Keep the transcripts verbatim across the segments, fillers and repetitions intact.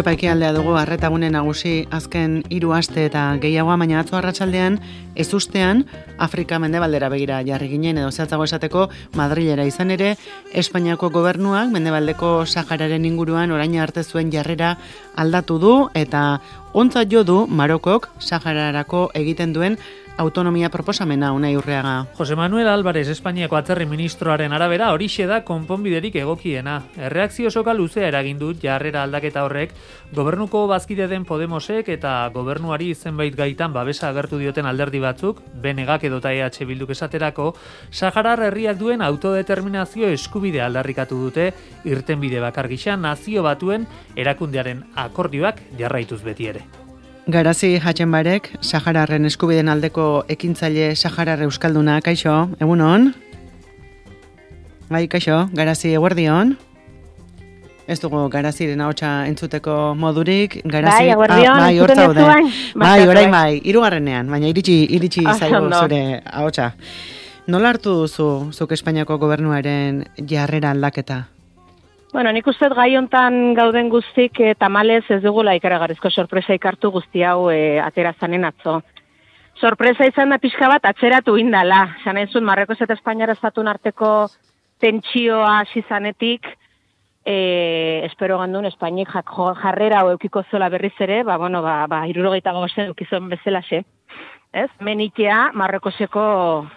Europa ekialdea dugu arretagune nagusi azken hiru aste eta gehiagoa, baina atzo arratsaldean ezustean Afrika mendebaldera begira jarri ginen, edo zehatzago esateko Madrilera. Izan ere, Espainiako gobernuak mendebaldeko Sahararen inguruan orain arte zuen jarrera aldatu du eta ontzat jo du Marokok Sahararako egiten duen autonomia proposamena. Unai Urreaga. Jose Manuel Álvarez, Espainiako atzerri ministroaren arabera, horixe da konponbiderik egokiena. Erreakzio soka luzea eragin dut jarrera aldaketa horrek, gobernuko bazkide den Podemosek eta gobernuari zenbait gaitan babesa agertu dioten alderdi batzuk, B N Gak edota E H Bilduk esaterako, Saharar herriak duen autodeterminazio eskubidea aldarrikatu dute, irtenbide bakar gisa nazio batuen erakundearen akordioak jarraituz beti ere. Garazi Hatxenbarek, Sahararren eskubideen aldeko ekintzaile Saharar euskalduna, kaixo, egunon? Bai, kaixo, Garazi, eguerdion? Ez dugu Garaziren ahotsa entzuteko modurik. Garazi, bai, eguerdion, ah, bai, hor zaude. Bai, orain bai, bai, hirugarrenean, baina iritsi iritsi zaigu zure ahotsa. Nola hartu duzu zuk Espainiako gobernuaren jarrera aldaketa? Bueno, nik uste gai hontan gauden guztik e, tamalez ez dugula ikaragarrizko sorpresa ikartu guzti hau e, atera zanen atzo. Sorpresa izan da pixka bat atzeratu indala. Zan entzun, Marruekos eta Espainiara estatun arteko tentsioa hasi zanetik, e, espero gandun Espainik jarrera hau eukiko zola berriz ere, ba, bueno, ba, ba, irurogeita gozen eukizon bezalaxe. Ez? Menitea Marruekoseko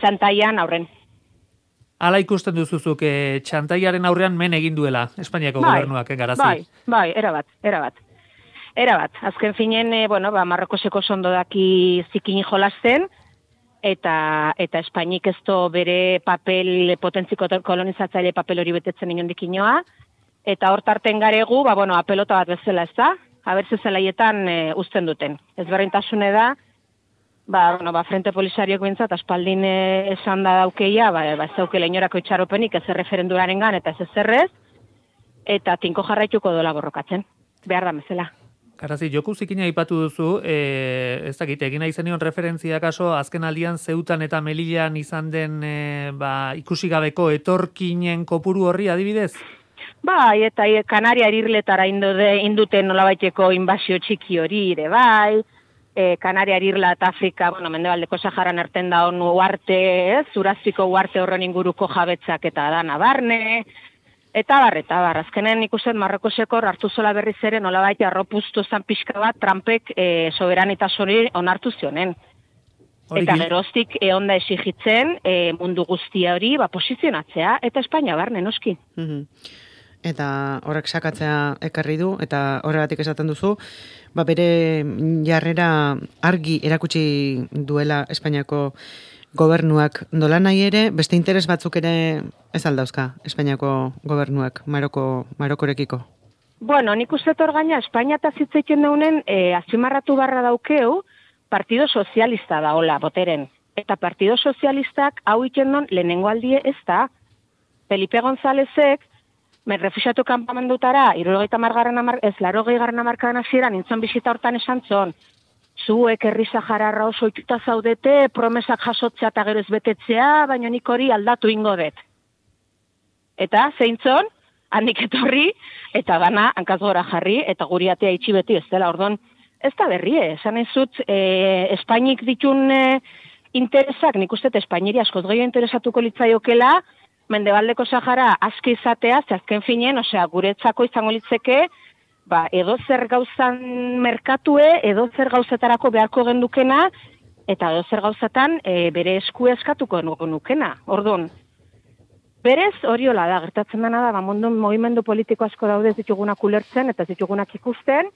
txantaian aurren. Hala ikusten duzuzuk, e, txantaiaren aurrean men egin duela Espainiako bai, gobernuak, eh, Garazi? Bai, bai, erabat, erabat. Erabat, azken finen, e, bueno, ba, Marrokoseko sondo daki zikin jolasten, eta eta Espainik ez do bere papel, potentziko kolonizatzaile papel hori betetzen inondik inoa, eta hortarten garegu, ba, bueno, apelota bat bezala ez da, habertze zelaietan e, uzten duten. Ez berrintasune da, Ba, bueno, ba, Frente Polisariok bintzat, aspaldin e, esan da daukeia, ba, ba ez daukela inorako itxaropenik ez erreferenduraren gan, eta ez ezerrez, eta tinko jarraituko dola borrokatzen, behar da bezala. Garazi, joku zikina aipatu duzu, e, ez dakit, egin nahi zenion referentzia kaso, azken aldian Zeutan eta Melillan izan den e, ba, ikusi gabeko etorkinen kopuru horri adibidez? Bai, eta e, Kanaria irirletara induten nolabaiteko inbasio txiki hori ere bai, E, Kanaria, Irla eta Afrika, bueno, mendebaldeko Saharan arten da honu uarte, ez, Zurazpiko uarte horren inguruko jabetzak eta dana barne, eta bar, eta bar, azkenen ikusten Marrokoseko hartu zola berriz ere nolabait arropuztu zan pixka bat Trumpek e, soberanitasori onartu zionen. Eta geroztik e, onda esigitzen e, mundu guztia hori ba, posizionatzea, eta Espainia barne, noski. Mm-hmm. Eta horrek sakatzea ekarri du, eta horregatik esaten duzu, ba bere jarrera argi erakutsi duela Espainiako gobernuak. Nola nahi ere, beste interes batzuk ere ez aldauzka Espainiako gobernuak Maroko, Marokorekiko? Bueno, nik uste torgaina Espainia eta zitzeiten daunen e, azimarratu barra daukeu Partido Sozialista da hola, boteren. Eta Partido Sozialistak hau ikendon lehenengo aldie ez da. Felipe Gonzálezek Men refusiatu kanpamendutara, irurogeita margarren amar, ez larogei garren amarkadan hasieran nintzen bisita hortan esan zon. Zuek herri Sahararra oso ikuta zaudete, promesak jasotzea eta gero ez betetzea, baina nik hori aldatu ingo dut. Eta, zeintzon, handik etorri, eta gana, hankaz gora jarri, eta guri atea itxi beti ez dela, ordon, ez da berri, esan ez zut, e, Espainik ditun e, interesak, nik uste Espainiri askoz gehiago interesatuko litzaiokela, Mendebaldeko Sahara aski izatea, azken finen, osea, guretzako izango litzeke, ba, edo zer gauzan merkatue, edo zer gauzetarako beharko gendukena, eta edo zer gauzatan e, bere esku eskatuko nukena. Orduan, berez hori hola da, gertatzen dena da, ba, mundu movimendu politiko asko daude ez ditugunak ulertzen, eta ez ditugunak ikusten,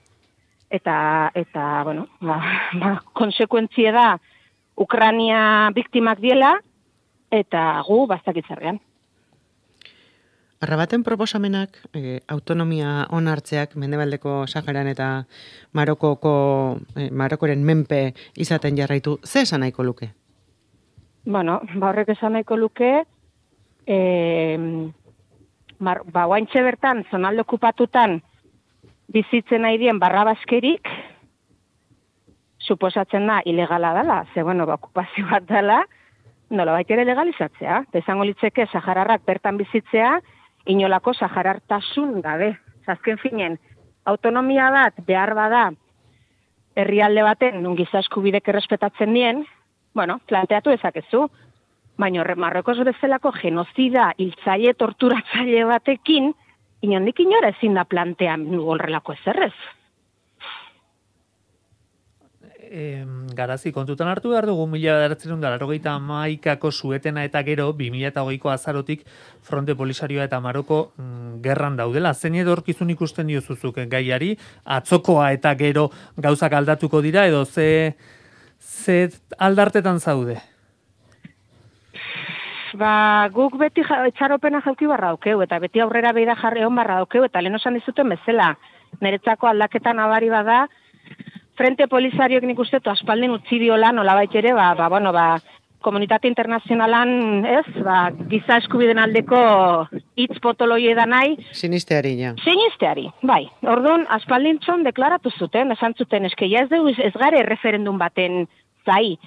eta, eta bueno, ba, ba, konsekuentzie da, Ukrania biktimak diela, eta gu bastakitzarrean. Arrabaten proposamenak, eh, autonomia onartzeak Mendebaldeko Saharan eta Marokoko, eh, Marokoren menpe izaten jarraitu, ze esan nahiko luke? Bueno, ba horrek esan nahiko luke, eh, mar, ba guaintxe bertan, zonalde okupatutan, bizitzen nahi dien barrabaskerik, suposatzen da, ilegala dela, ze bueno, ba, okupazio bat dela, nola baita ere legalizatzea. Izango litzeke Sahararrak bertan bizitzea, inolako saharartasun gabe. Azken finen, autonomia bat behar bada herrialde baten nun giza eskubidek errespetatzen dien, bueno, planteatu ezakezu. Baina Marrokos bezalako genozida, hiltzaile, torturatzaile batekin, inondik inora ezin da plantean horrelako ezerrez. E, garazi, kontutan hartu behar dugu mila bederatziehun eta laurogeita hamaikako suetena eta gero bi mila hogeiko azarotik Fronte Polisarioa eta Maroko mm, gerran daudela. Zein edorkizun ikusten diozuzuk gaiari, atzokoa eta gero gauzak aldatuko dira edo ze, ze aldartetan zaude? Ba, guk beti ja, etxaropena jauki barra daukeu, eta beti aurrera beida jarri hon barra daukeu, eta lehen osan dizuten bezala, niretzako aldaketa nabari bada, Frente Polisarioek nik uste aspaldin utzi diola nolabait ere, ba, ba, bueno, ba, komunitate internazionalan, ez, ba, giza eskubiden aldeko hitz potoloi edan nahi. Sinisteari, ja. Sinisteari, bai. Orduan, aspaldin txon deklaratu zuten, esan zuten, eske ja ez dugu ez gare referendum baten zai.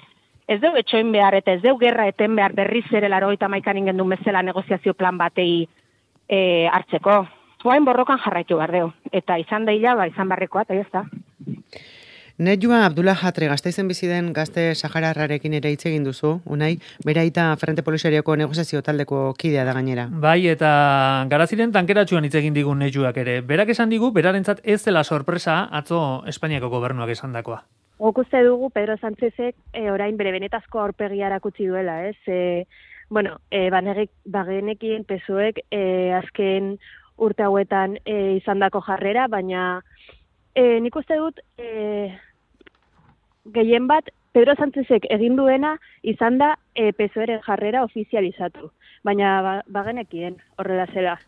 Ez dugu etxoin behar eta ez dugu gerra eten behar berriz ere laurogeita hamaikan ingendun bezala negoziazio plan batei e, hartzeko. Guain borrokan jarraitu behar dugu. Eta izan daila, ba, izan barrekoa, eta ez da. Nejua Abdullah Hatre Gasteizen bizi den gazte sahararrarekin ere hitz egin duzu, Unai, beraita Frente Polisarioko negoziazio taldeko kidea da gainera. Bai, eta Garaziren tankeratxuan hitz egin digun Nejuak ere. Berak esan digu, berarentzat ez dela sorpresa atzo Espainiako gobernuak esandakoa. Guk uste dugu Pedro Sánchezek e, orain bere benetazko aurpegia erakutsi duela, ez? E, bueno, e, banegik, bagenekien pesoek e, azken urte hauetan e, izandako jarrera, baina e, nik uste dut e, gehien bat Pedro Sánchezek egin duena izan da e, pesoeren jarrera ofizializatu, baina ba, bagenekien horrela zela.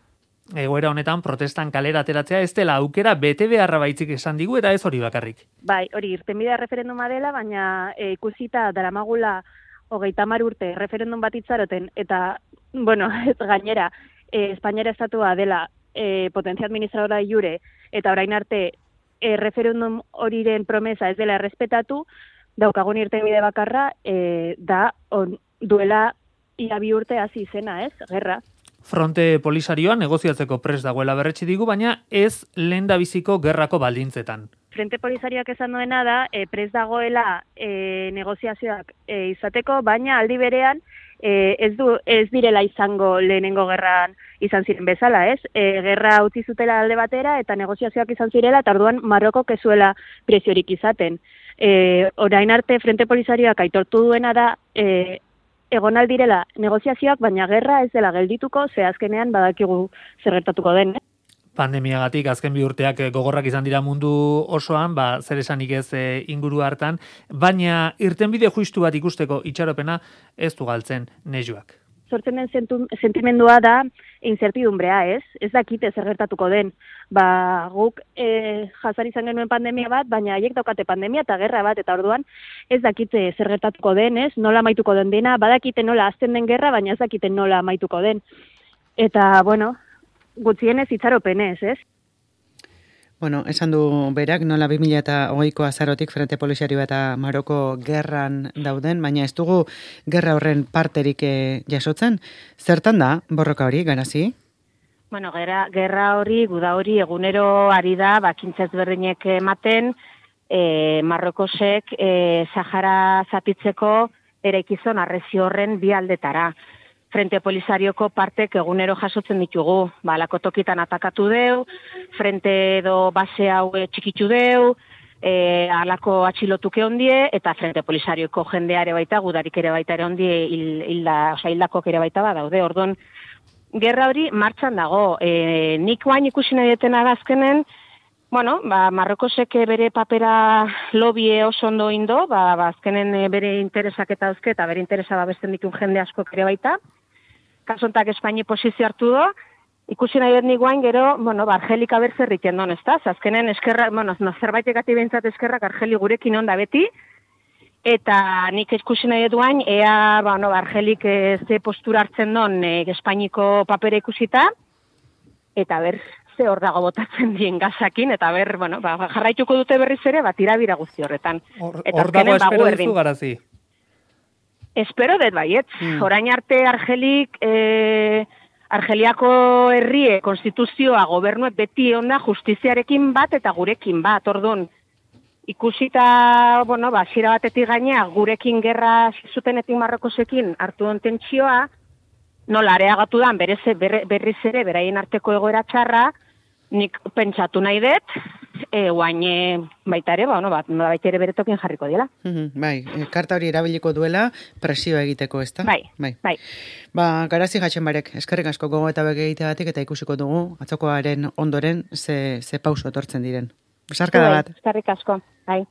Egoera honetan protestan kalera ateratzea ez dela aukera bete beharra baitzik esan digu eta ez hori bakarrik. Bai, hori irtenbidea referenduma dela, baina e, ikusita daramagula hogeita hamar urte referendum bat itzaroten eta, bueno, ez gainera, e, Espainiara estatua dela e, potentzia administradora jure eta orain arte e, referendum horiren promesa ez dela errespetatu, daukagun irtenbide bakarra e, da on, duela ia bi urte hasi izena, ez? Gerra. Fronte Polisarioa negoziatzeko prest dagoela berretsi digu, baina ez lehendabiziko gerrako baldintzetan. Frente Polisarioak esan duena da, e, prest dagoela e, negoziazioak e, izateko, baina aldi berean e, ez, du, ez direla izango lehenengo gerran izan ziren bezala, ez? E, gerra utzi zutela alde batera eta negoziazioak izan zirela, eta orduan Marokok ez zuela preziorik izaten. E, orain arte Frente Polisarioak aitortu duena da, e, egon aldirela negoziazioak, baina gerra ez dela geldituko, ze azkenean badakigu zer gertatuko den. Eh? Pandemiagatik azken bi urteak gogorrak izan dira mundu osoan, ba, zer esanik ez e, inguru hartan, baina irtenbide justu bat ikusteko itxaropena ez du galtzen Nejuak. Sortzen den sentimendua da incertidumbrea, ez? Ez dakite zer gertatuko den. Ba, guk e, jasan izan genuen pandemia bat, baina haiek daukate pandemia eta gerra bat, eta orduan ez dakite zer gertatuko den, ez? Nola amaituko den dena, badakite nola azten den gerra, baina ez dakite nola amaituko den. Eta, bueno, gutxienez itxaropenez, ez? Bueno, esan du berak, nola bi mila hogeiko azarotik Frente Polisarioa eta Maroko gerran dauden, baina ez dugu gerra horren parterik e, jasotzen. Zertan da, borroka hori, Garazi? Bueno, gerra, gerra hori, guda hori, egunero ari da, bakintzaz berdinek ematen, e, Marrokosek e, Sahara zatitzeko eraikizon arrezio horren bi aldetara. Frente Polisarioko partek egunero jasotzen ditugu, ba, alako tokitan atakatu deu, frente edo base hau txikitzu deu, e, alako atxilotuke ondie, eta Frente Polisarioko jendea ere baita, gudarik ere baita ere ondie, hil, hilda, oza, hildakok ere baita ba daude, orduan, gerra hori martxan dago, e, nik guain ikusi nahi detena azkenen, bueno, ba, Marrokosek bere papera lobie oso ondo indo, ba, ba, azkenen bere interesak eta dauzke, eta bere interesa babesten ditun jende asko ere baita, kasontak Espaini posizio hartu do, ikusi nahi dut niguain gero, bueno, ba, Argelik abertzerriken don, ez da? Azkenen eskerra, bueno, no, zerbait egati behintzat eskerrak Argeli gurekin onda beti, eta nik ikusi nahi dut guain, ea, bueno, ba, Argelik ze postura hartzen don e, Espainiko papera ikusita, eta ber, ze hor dago botatzen dien gazakin, eta ber, bueno, ba, jarraituko dute berriz ere, bat irabira guzti horretan. Hor dago espero duzu, Garazi? Espero dut baiet. Mm. Orain arte Argelik e, Argeliako herrie konstituzioa gobernuek beti onda justiziarekin bat eta gurekin bat, orduan. Ikusita, bueno, ba, zira batetik gainea, gurekin gerra zutenetik Marrokosekin hartu don tentsioa, nola areagatu dan berez, berre, berriz ere, beraien arteko egoera txarra, nik pentsatu nahi dut, e, guain baita ere, bueno, bat, baita ere beretokin jarriko dela. Mm-hmm, bai, e, karta hori erabiliko duela presioa egiteko, ezta? Bai, bai. bai. Ba, Garazi Gatxenbarek, eskerrik asko gogo eta begiteagatik eta ikusiko dugu, atzokoaren ondoren ze, ze pauso etortzen diren. Besarkada bat. Eskerrik asko, bai.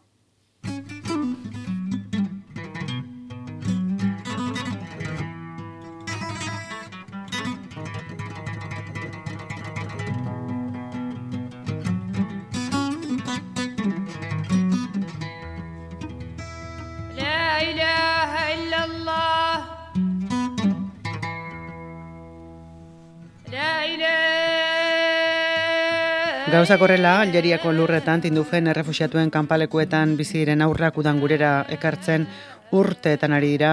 La ilaha illallah. La ilaha Gauzak horrela, Algeriako lurretan tindufen errefuxiatuen kanpalekuetan bizi diren aurrak udan gurera ekartzen urteetan ari dira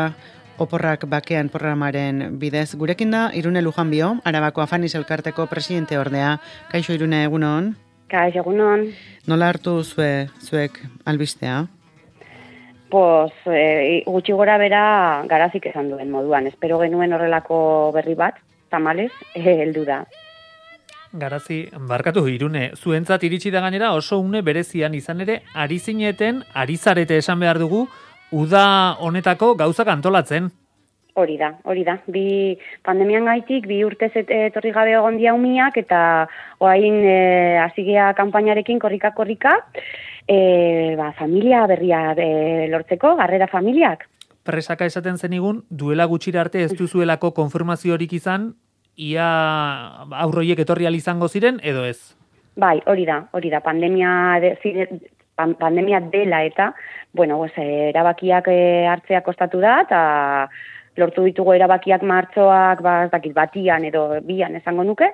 oporrak bakean programaren bidez. Gurekin da Irune Lujanbio, Arabako Afanis elkarteko presidente ordea. Kaixo Irune, egunon? Kaixo, egunon. Nola hartu zue, zuek albistea? Pues, e, gutxi gora bera Garazik esan duen moduan. Espero genuen horrelako berri bat, tamalez, heldu da. Garazi, barkatu Irune, zuentzat iritsi da gainera oso une berezian izan ere, ari zineten, ari zarete esan behar dugu, uda honetako gauzak antolatzen. Hori da, hori da. Bi pandemian gaitik, bi urtez etorri gabe egon dia umiak, eta oain e, azigea kanpainarekin korrika-korrika, e, ba, familia berria e, lortzeko, garrera familiak. Presaka esaten zenigun, duela gutxira arte ez duzuelako konfirmaziorik izan, ia aurroiek etorri izango ziren, edo ez? Bai, hori da, hori da, pandemia, de, zire, pan, pandemia dela eta, bueno, pues, erabakiak e, hartzea kostatu da, eta lortu ditugu erabakiak martxoak, ba, dakit, batian edo bian esango nuke,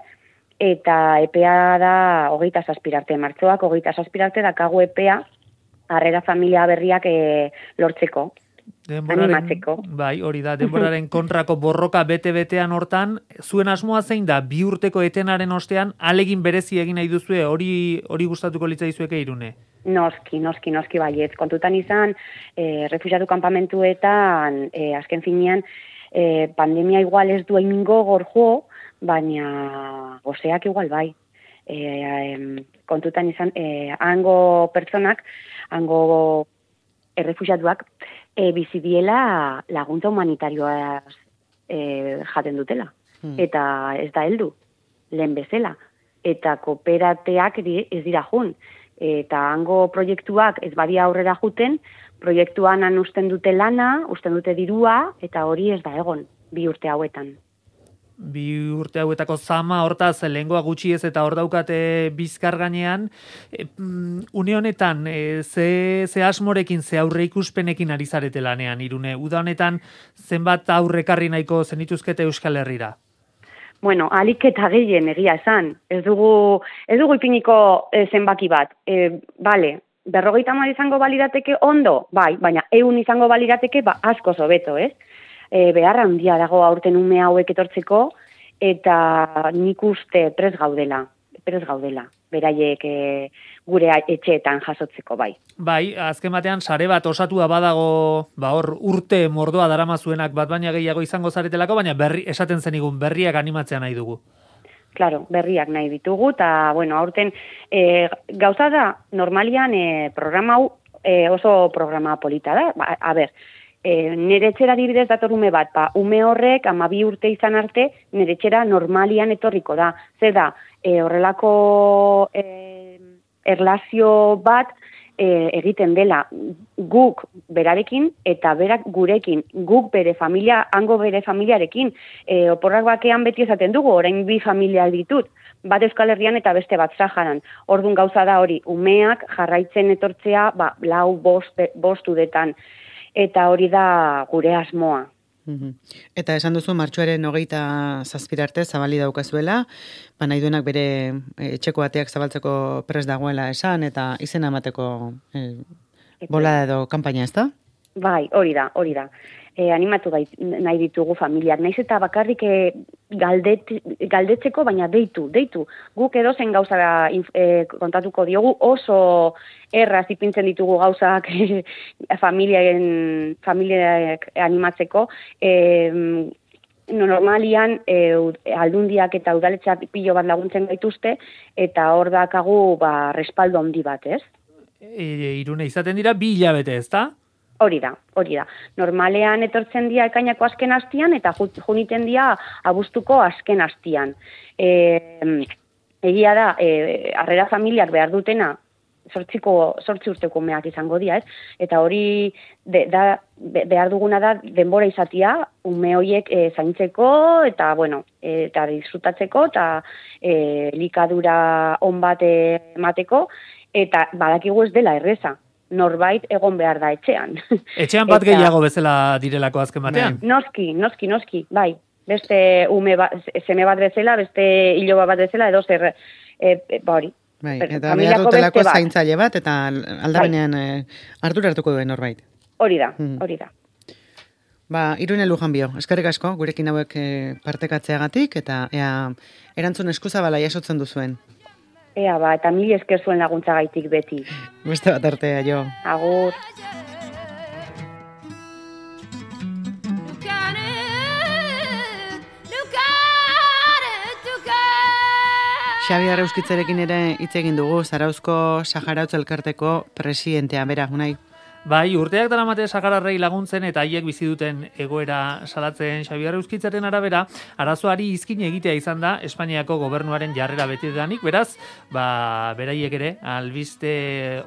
eta epea da hogeita zazpirarte, martxoak hogeita zazpirarte dakagu epea, harrera familia berriak e, lortzeko. Denboraren, bai, hori da, denboraren kontrako borroka bete-betean hortan, zuen asmoa zein da, bi urteko etenaren ostean, alegin berezi egin nahi duzue, hori hori gustatuko litzaizueke Irune? Noski, noski, noski baiet. Kontutan izan, e, refugiatu kanpamentuetan, e, azken finean, e, pandemia igual ez du emingo gorjo, baina gozeak igual bai. E, e, kontutan izan, e, hango pertsonak, hango errefugiatuak, E, bizidiela laguntza humanitarioa e, jaten dutela. Hmm. Eta ez da heldu, lehen bezala. Eta kooperateak ez dira jun. Eta hango proiektuak ez badia aurrera juten, proiektuan han usten dute lana, usten dute dirua, eta hori ez da egon, bi urte hauetan. Bi urte hauetako zama, hortaz, lehengoa gutxi ez eta hor daukate bizkar gainean. E, une honetan, e, ze, ze asmorekin, ze aurre ikuspenekin ari zarete lanean, Irune? Uda honetan, zenbat aurrekarri nahiko zenituzkete Euskal Herrira? Bueno, alik eta gehien egia esan. Ez dugu, ez dugu ipiniko e, zenbaki bat. E, bale, berrogeita hamar izango balirateke ondo, bai, baina ehun izango balirateke ba, asko hobeto, ez? E, beharra handia dago aurten ume hauek etortzeko, eta nik uste prez gaudela, prez gaudela, beraiek e, gure etxeetan jasotzeko bai. Bai, azken batean sare bat osatua badago, ba hor urte mordoa daramazuenak bat baina gehiago izango zaretelako, baina berri, esaten zenigun berriak animatzea nahi dugu. Claro, berriak nahi ditugu, eta bueno, aurten e, gauza da, normalian e, programa hau e, oso programa polita da, ba, a ber, E, nire etxera dibidez dator ume bat, ba, ume horrek amabi urte izan arte, nire etxera normalian etorriko da. Zer da, e, horrelako e, erlazio bat e, egiten dela guk berarekin eta berak gurekin, guk bere familia, hango bere familiarekin. E, oporrak bakean beti esaten dugu, orain bi familia ditut, bat Euskal Herrian eta beste bat Saharan. Orduan gauza da hori, umeak jarraitzen etortzea, ba, lau bost, bost udetan. Eta hori da gure asmoa. Mm-hmm. Eta esan duzu martxoaren hogeita zazpirarte zabali daukazuela, ba nahi duenak bere etxeko ateak zabaltzeko prest dagoela esan, eta izena emateko eh, bola edo kanpaina, ez da? Bai, hori da, hori da. E, animatu bait, nahi ditugu familiak. Naiz eta bakarrik e, galdet, galdetzeko, baina deitu, deitu. Guk edo zen gauza e, kontatuko diogu, oso erraz ipintzen ditugu gauzak e, familiaren, familiak animatzeko. E, no, normalian e, aldundiak eta udaletxeak pilo bat laguntzen gaituzte, eta hor dakagu ba, respaldo handi bat, ez? E, irune izaten dira bi hilabete, ez da? Hori da, hori da. Normalean etortzen dira ekainako azken hastian eta juniten dira abuztuko azken hastian. E, egia da, e, harrera familiak behar dutena, sortziko, sortzi urteko umeak izango dira, ez? Eta hori de, da, be, behar duguna da denbora izatia, ume horiek e, zaintzeko eta, bueno, e, eta disfrutatzeko eta e, likadura on bat emateko, eta badakigu ez dela erreza. Norbait egon behar da etxean. Etxean bat eta, gehiago bezala direlako azken batean? Noski, noski, noski, bai. Beste ume ba, seme bat bezala, beste hiloba bat bezala, edo zer, e, e, hori. Bai, eta behar dutelako zaintzaile bat, eta aldabenean bai. e, ardura hartuko duen norbait. Hori da, hmm. hori da. Ba, Irune Lujanbio, eskerrik asko, gurekin hauek e, partekatzeagatik, eta ea, erantzun eskuzabala jasotzen duzuen. Ea ba, eta mili esker zuen laguntza gaitik beti. Beste bat artea, jo. Agur. Xabi Arrauskitzerekin ere hitz egin dugu, Zarauzko Saharautz elkarteko presidentea, bera, unai. Bai, urteak daramate sahararrei laguntzen eta haiek bizi duten egoera salatzen Xabi Arrauskitzaren arabera, arazoari izkin egitea izan da Espainiako gobernuaren jarrera betidanik, beraz, ba, beraiek ere, albiste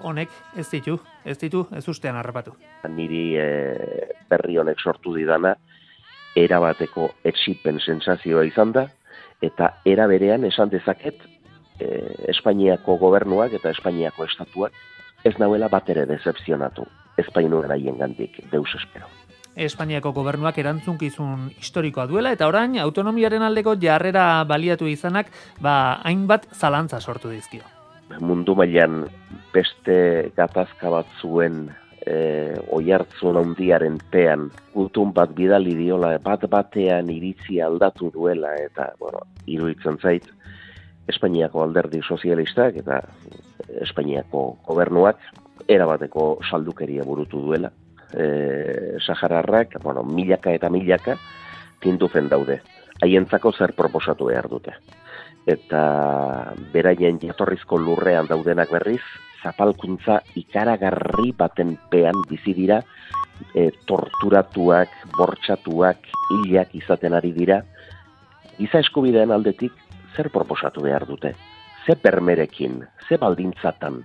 honek ez ditu, ez ditu, ez ustean harrapatu. Niri e, berri honek sortu didana, erabateko etsipen sensazioa izan da, eta era berean esan dezaket, e, Espainiako gobernuak eta Espainiako estatuak ez nauela bat ere decepzionatu. Espainuen haien gandik, deus espero. Espainiako gobernuak erantzunkizun historikoa duela, eta orain autonomiaren aldeko jarrera baliatu izanak, ba, hainbat zalantza sortu dizkio. Mundu mailan beste gatazka bat zuen e, oihartzun handiaren pean, gutun bat bidali diola, bat batean iritzi aldatu duela, eta, bueno, iruditzen zait, Espainiako alderdi sozialistak eta Espainiako gobernuak erabateko saldukeria burutu duela. E, Sahararrak, bueno, milaka eta milaka tindufen daude. Haientzako zer proposatu behar dute. Eta beraien jatorrizko lurrean daudenak berriz, zapalkuntza ikaragarri baten pean bizi dira, e, torturatuak, bortxatuak, hilak izaten ari dira. Giza eskubideen aldetik zer proposatu behar dute? Ze bermerekin, ze baldintzatan